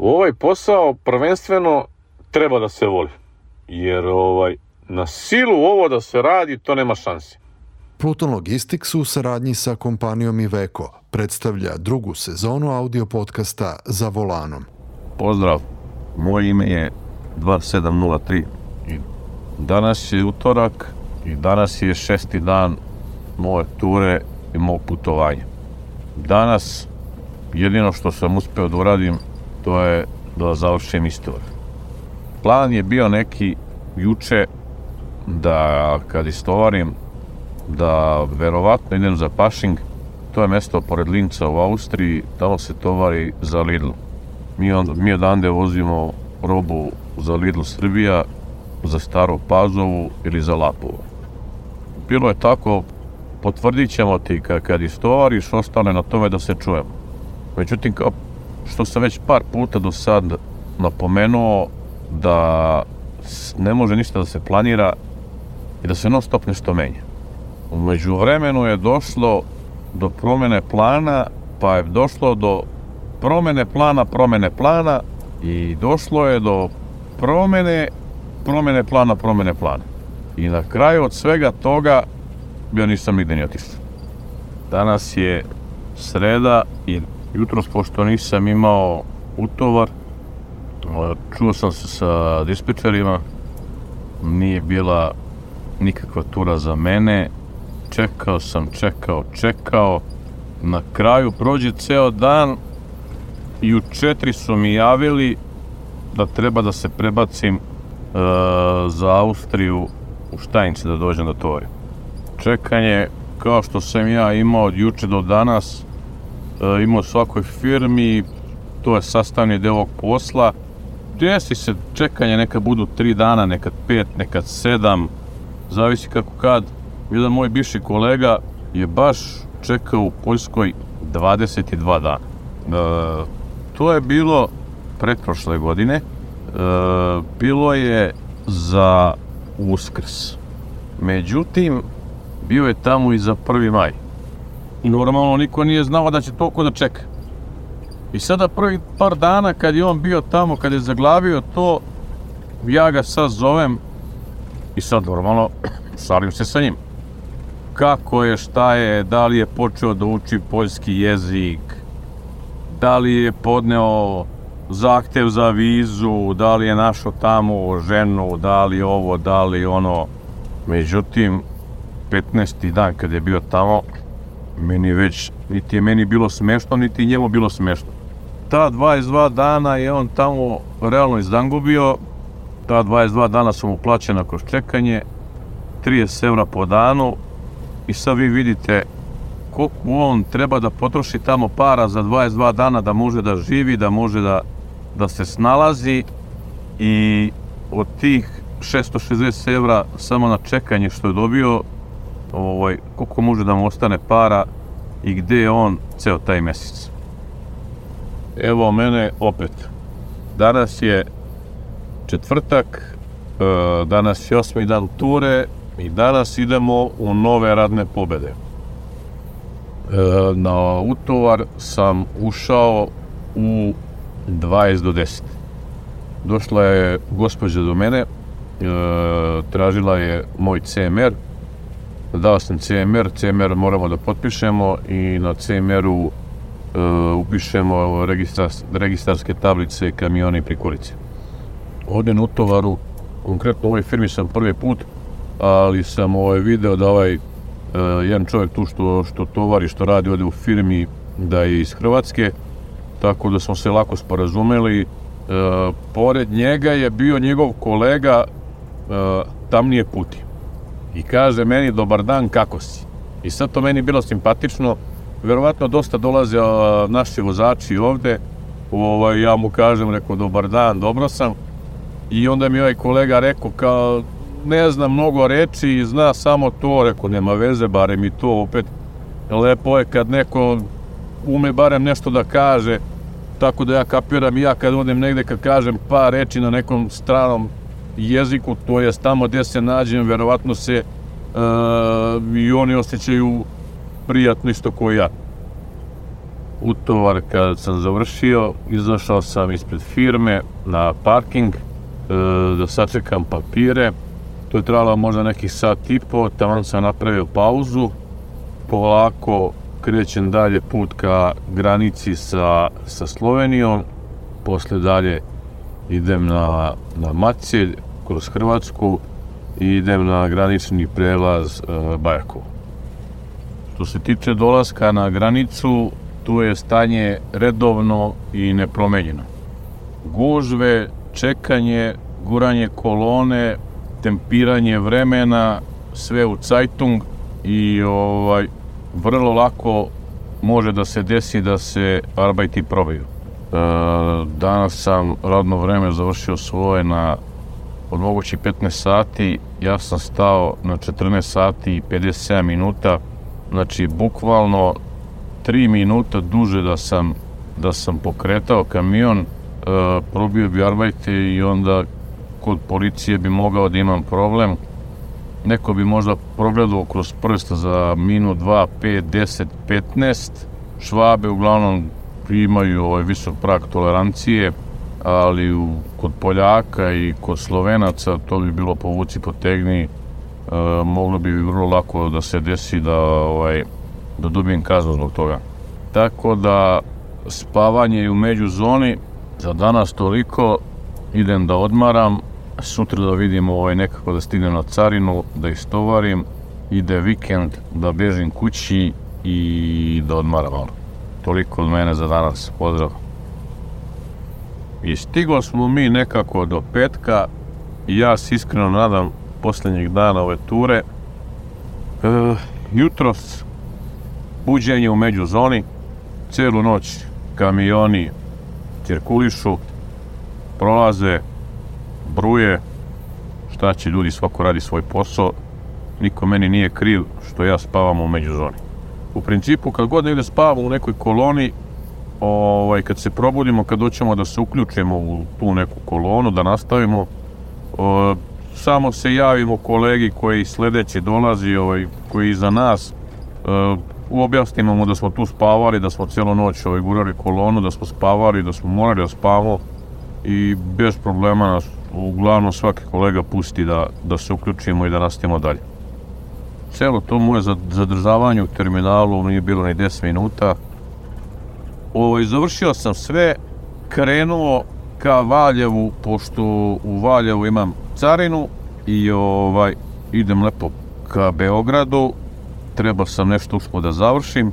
Ovaj posao prvenstveno treba da se voli, jer na silu ovo da se radi, to nema šanse. Pluton Logistics u saradnji sa kompanijom Iveco predstavlja drugu sezonu audio podcasta Za volanom. Pozdrav, moje ime je 2703 i danas je utorak i danas je 6. dan moje ture i mog putovanja. Danas jedino što sam uspeo da uradim to je da završim istoriju. Plan je bio neki juče da kad istovarim da verovatno idem za Pašing, to je mesto pored Linca u Austriji, tamo se tovari za Lidl. Mi odande vozimo robu za Lidl Srbija, za Staru Pazovu ili za Lapovo. Bilo je tako, potvrdit ćemo ti kad istovariš, ostane na tome da se čujemo. Međutim, kao što sam već par puta do sad napomenuo, da ne može ništa da se planira i da se non stop nešto menja. U međuvremenu je došlo do promene plana, pa je došlo do promene plana i došlo je do promene plana. I na kraju od svega toga ja nisam nigde ni otišao. Danas je sreda i jutros, pošto nisam imao utovar, čuo sam se sa dispečerima, nije bila nikakva tura za mene, čekao sam, na kraju prođe ceo dan i u 4 su mi javili da treba da se prebacim za Austriju u Štajnice da dođem da tovarim. Čekanje, kao što sam ja imao od juče do danas, imao u svakoj firmi, to je sastavni deo ovog posla. Desi se čekanje, nekad budu 3 dana, nekad 5, nekad 7, zavisi kako kad. Jedan moj bivši kolega je baš čekao u Poljskoj 22 dana. To je bilo pretprošle godine, bilo je za Uskrs. Međutim, bio je tamo i za 1. maj. Normalno, niko nije znao da će toliko da čeka. I sada prvi par dana kad je on bio tamo, kad je zaglavio to, ja ga sad zovem i sad normalno šalim se sa njim. Kako je, šta je, da li je počeo da uči poljski jezik, da li je podneo zahtev za vizu, da li je našao tamo ženu, da li ovo, da li ono. Međutim, 15. dan kad je bio tamo, niti je meni bilo smešno, niti njemu bilo smešno. Ta 22 dana je on tamo realno izdangubio, ta 22 dana su mu plaćena kroz čekanje, 30 evra po danu i sad vi vidite koliko on treba da potroši tamo para za 22 dana da može da živi, da može da se snalazi i od tih 660 evra samo na čekanje što je dobio, koliko može da mu ostane para i gde je on ceo taj mesec. Evo mene opet. Danas je četvrtak, danas je 8. dan ture i danas idemo u nove radne pobede. Na utovar sam ušao u 20 do 10. Došla je gospođa do mene, tražila je moj CMR, dao sam CMR moramo da potpišemo i na CMR-u upišemo registarske tablice, kamione i prikolice. Ovdje na utovaru, konkretno u ovoj firmi sam prvi put, ali sam video da jedan čovjek tu što tovari, što radi ovdje u firmi, da je iz Hrvatske, tako da smo se lako sporazumeli. Pored njega je bio njegov kolega Tamnije Puti. I kaže meni, dobar dan, kako si? I sad to meni bilo simpatično. Verovatno dosta dolaze naši vozači ovde. Ja mu kažem, rekao, dobar dan, dobro sam. I onda mi ovaj kolega rekao, kao, ne znam mnogo reči i zna samo to. Rekao, nema veze, barem i to opet. Lepo je kad neko ume barem nešto da kaže. Tako da ja kapiram i ja kad odem negde, kad kažem par reči na nekom stranom jeziku, to je tamo gde se nađem, verovatno se i oni osjećaju prijatno isto kao ja. utovar kad sam završio, izašao sam ispred firme na parking da sačekam papire. To je trajalo možda nekih sat i po, tamo sam napravio pauzu, polako krećem dalje put ka granici sa Slovenijom, posle dalje idem na Macelj kroz Hrvatsku i idem na granični prelaz Bajakovo. Što se tiče dolaska na granicu, tu je stanje redovno i nepromenjeno. Gužve, čekanje, guranje kolone, tempiranje vremena, sve u cajtung i vrlo lako može da se desi da se arbajti probaju. Danas sam radno vreme završio svoje od mogući 15 sati, ja sam stao na 14 sati i 57 minuta, znači bukvalno 3 minuta duže da sam pokretao kamion, probio bi arbajte i onda kod policije bi mogao da imam problem. Neko bi možda progledao kroz prst za minut, 2, 5, 10, 15. Švabe uglavnom imaju visok prag tolerancije, ali kod Poljaka i kod Slovenaca to bi bilo povuci potegni. Moglo bi vrlo lako da se desi da dobijem kaznu zbog toga. Tako da spavanje je u međuzoni, za danas toliko, idem da odmaram, sutra da vidim nekako da stignem na carinu, da istovarim, ide vikend, da bežim kući i da odmaram malo. Toliko od mene za danas, pozdrav. I stigli smo mi nekako do petka i ja se iskreno nadam posljednjeg dana ove ture. Jutros buđenje u međuzoni, celu noć kamioni cirkulišu, prolaze, bruje, šta će ljudi, svako radi svoj posao, niko meni nije kriv što ja spavam u međuzoni. U principu kad god negde spavamo u nekoj koloni, kad se probudimo, kad doćemo da se uključimo u tu neku kolonu, da nastavimo, samo se javimo kolegi koji sledeće dolazi, koji iza nas, objasnimo mu da smo tu spavali, da smo cijelu noć gurali kolonu, da smo spavali, da smo morali da spavamo i bez problema nas uglavnom svaki kolega pusti da se uključimo i da nastavimo dalje. Celo to moje zadržavanje u terminalu nije bilo ni 10 minuta. Završio sam sve, krenuo ka Valjevu, pošto u Valjevu imam carinu i idem lepo ka Beogradu. Treba sam nešto usput da završim.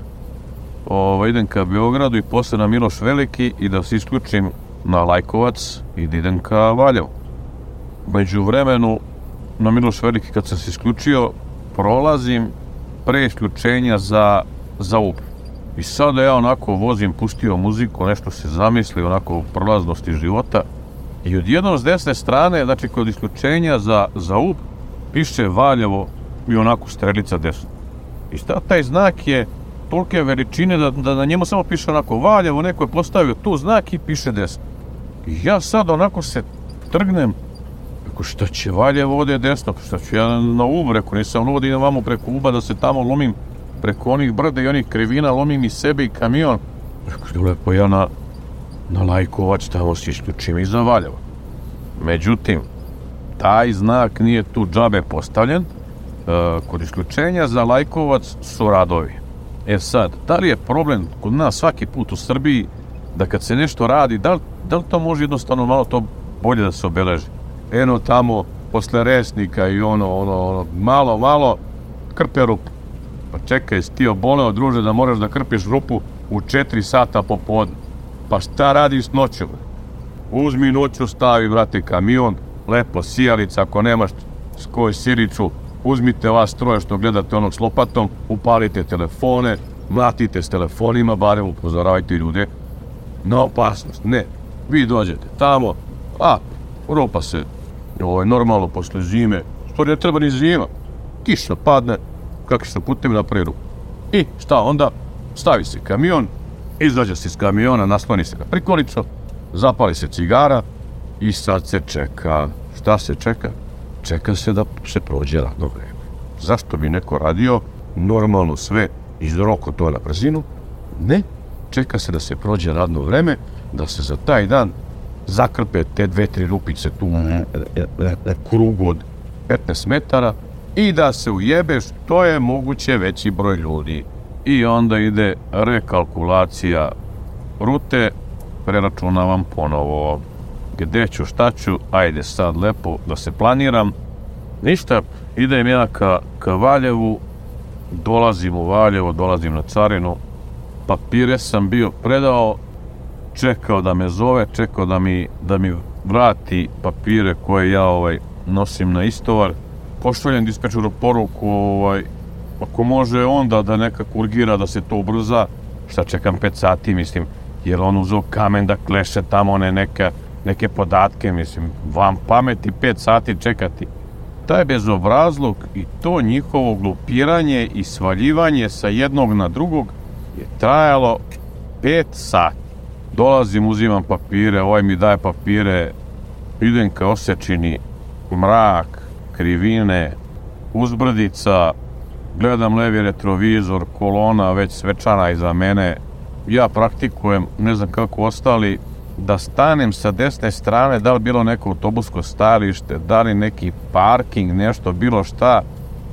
Idem ka Beogradu i posle na Miloš Veliki i da se isključim na Lajkovac i da idem ka Valjevu. Među vremenu na Miloš Veliki kad sam se isključio, prolazim pre isključenja za Ub. I sada ja onako vozim, pustio muziku, nešto se zamisli, onako u prolaznosti života. I odjednom s desne strane, znači kod isključenja za Ub, piše Valjevo i onako strelica desno. I taj znak je tolike veličine da na njemu samo piše onako Valjevo, neko je postavio tu znak i piše desno. I ja sad onako se trgnem, rekao šta će Valjevo ovdje desno, šta ću ja na Ub, rekao nisam ono da idem vamo preko Uba da se tamo lomim preko onih brda i onih krivina, lomim i sebe i kamion. Rekao lepo ja na Lajkovac tamo se isključim iza Valjeva. Međutim, taj znak nije tu džabe postavljen. Kod isključenja za Lajkovac su radovi. Sad, da li je problem kod nas svaki put u Srbiji da kad se nešto radi, da li to može jednostavno malo to bolje da se obeleži? Eno tamo, posle Resnika i malo krpe rupu. Pa čekaj, si ti oboleo, druže, da moraš da krpiš rupu u 4 sata popodne. Pa šta radiš noću? Uzmi noću, stavi, brate, kamion, lepo sijalica, ako nemaš koju siricu, uzmite vas troje što gledate onog s lopatom, upalite telefone, mlatite s telefonima, barem upozoravajte ljude na opasnost. Ne, vi dođete tamo, rupa se, normalno posle zime, što ne treba ni zima, kiša padne, kakvi su putevi napravi rupu. I šta onda? Stavi se kamion, izađe se iz kamiona, nasloni se na prikolicu, zapali se cigara i sad se čeka. Šta se čeka? Čeka se da se prođe radno vreme. Zašto bi neko radio normalno sve iz roko to na brzinu? Ne, čeka se da se prođe radno vreme, da se za taj dan zakrpe te 2-3 rupice tu krugu od 15 metara i da se ujebe što je moguće veći broj ljudi. I onda ide rekalkulacija rute, preračunavam ponovo gde ću, šta ću, ajde sad lepo da se planiram. Ništa, idem ja ka Valjevu, dolazim u Valjevo, dolazim na carinu, papire sam bio predao, čekao da me zove, čekao da mi vrati papire koje ja nosim na istovar. Pošaljem dispečeru poruku, ako može onda da nekako urgira da se to ubrza, šta čekam 5 sati, mislim, jer on uzeo kamen da kleše tamo neke podatke, mislim, vam pameti 5 sati čekati. Taj bezobrazluk i to njihovo glupiranje i svaljivanje sa jednog na drugog je trajalo 5 sati. Dolazim, uzimam papire, ovaj mi daje papire, idem ka Osečini, mrak, krivine, uzbrdica, gledam levi retrovizor, kolona već svečana iza mene. Ja praktikujem, ne znam kako ostali, da stanem sa desne strane, da li bilo neko autobusko starište, da li neki parking, nešto, bilo šta.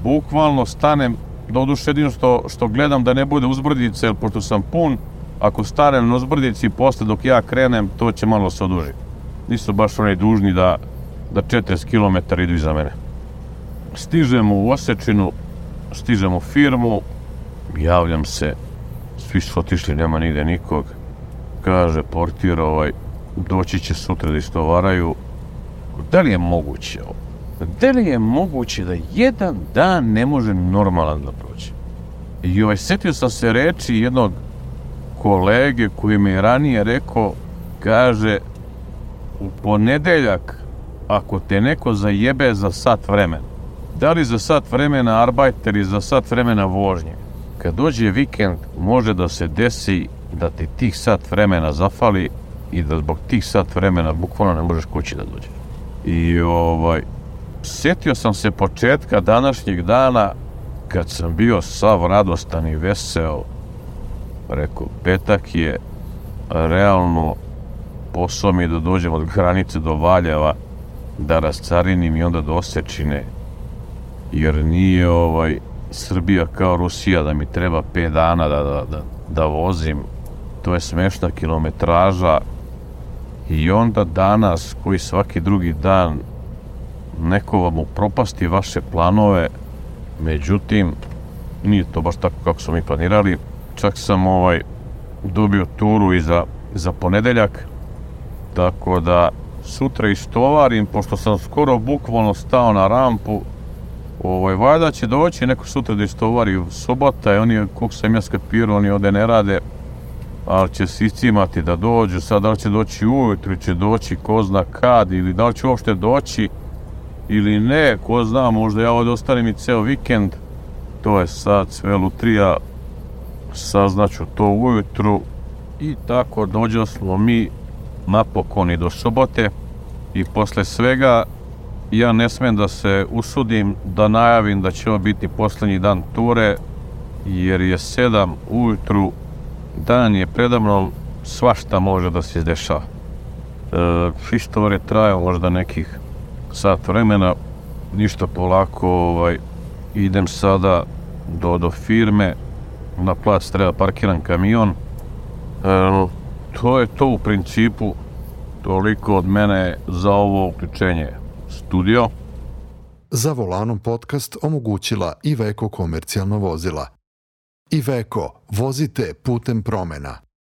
Bukvalno stanem, doduše jedino što gledam da ne bude uzbrdice, jer pošto sam pun, ako stanem na uzbrdici, posle dok ja krenem, to će malo se odužiti. Nisu baš oni dužni da 40 km idu iza mene. Stižemo u Osečinu, stižemo u firmu, javljam se, svi su otišli, nema nigde nikog. Kaže portir, doći će sutra da istovaraju. Da li je moguće ovo? Da li je moguće da jedan dan ne može normalan da prođe? I setio sam se reči jednog kolege koji mi je ranije rekao, kaže, u ponedeljak, ako te neko zajebe za sat vremena, da li za sat vremena arbajt ili za sat vremena vožnje, kad dođe vikend, može da se desi da ti tih sat vremena zafali i da zbog tih sat vremena bukvalno ne možeš kući da dođeš. I sjetio sam se početka današnjeg dana kad sam bio sav radostan i veseo. Rekao, petak je, realno posao mi je da dođem od granice do Valjeva, da rascarinim i onda do Osečine, jer nije Srbija kao Rusija da mi treba 5 dana da vozim. To je smešna kilometraža. I onda danas, koji svaki drugi dan, neko vam upropasti vaše planove, međutim, nije to baš tako kako smo mi planirali. Čak sam dobio turu i za ponedeljak, tako da sutra istovarim, pošto sam skoro bukvalno stao na rampu. Valjda će doći neko sutra da istovari, sobota je, oni, koliko sam ja skapirao, oni ovde ne rade, ali će se iscimati da dođu. Sad da li će doći ujutru ili će doći ko zna kad, ili da li će uopšte doći ili ne, ko zna, možda ja ovdje ostanem i ceo vikend. To je sad sve lutrija, saznaću to ujutru i tako dođo smo mi napokon i do sobote. I posle svega ja ne smem da se usudim da najavim da će ovo biti poslednji dan ture, jer je 7 ujutru, dan je predamnom, svašta može da se izdešava. Istovar je trajao možda nekih sat vremena, ništa, polako idem sada do firme, na plac treba parkiran kamion. To je to u principu, toliko od mene za ovo uključenje studio. Za volanom podcast omogućila Iveco komercijalna vozila. Iveco, vozite putem promena.